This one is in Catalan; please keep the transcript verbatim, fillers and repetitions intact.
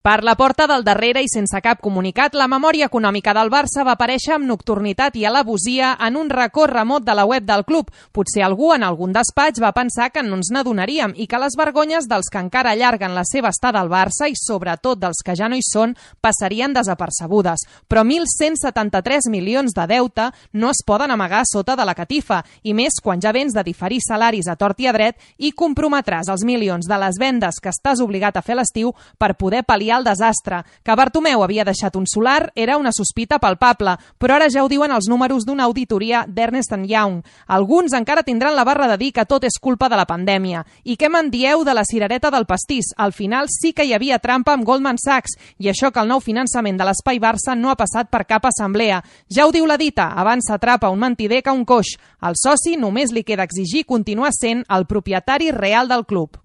Per la porta del darrere i sense cap comunicat, la memòria econòmica del Barça va aparèixer amb nocturnitat i alevosia en un racó remot de la web del club. Potser algú en algun despatx va pensar que no ens n'adonaríem i que les vergonyes dels que encara allarguen la seva estada al Barça i sobretot dels que ja no hi són passarien desapercebudes. Però mil cent setanta-tres milions de deute no es poden amagar sota de la catifa, i més quan ja vens de diferir salaris a tort i a dret i comprometràs els milions de les vendes que estàs obligat a fer a l'estiu per poder pal·liar el desastre. Que Bartomeu havia deixat un solar era una sospita palpable, però ara ja ho diuen els números d'una auditoria d'Ernst and Young. Alguns encara tindran la barra de dir que tot és culpa de la pandèmia. I què me'n dieu de la cirereta del pastís? Al final sí que hi havia trampa amb Goldman Sachs, i això que el nou finançament de l'Espai Barça no ha passat per cap assemblea. Ja ho diu la dita, abans s'atrapa un mentider que un coix. Al soci només li queda exigir continuar sent el propietari real del club.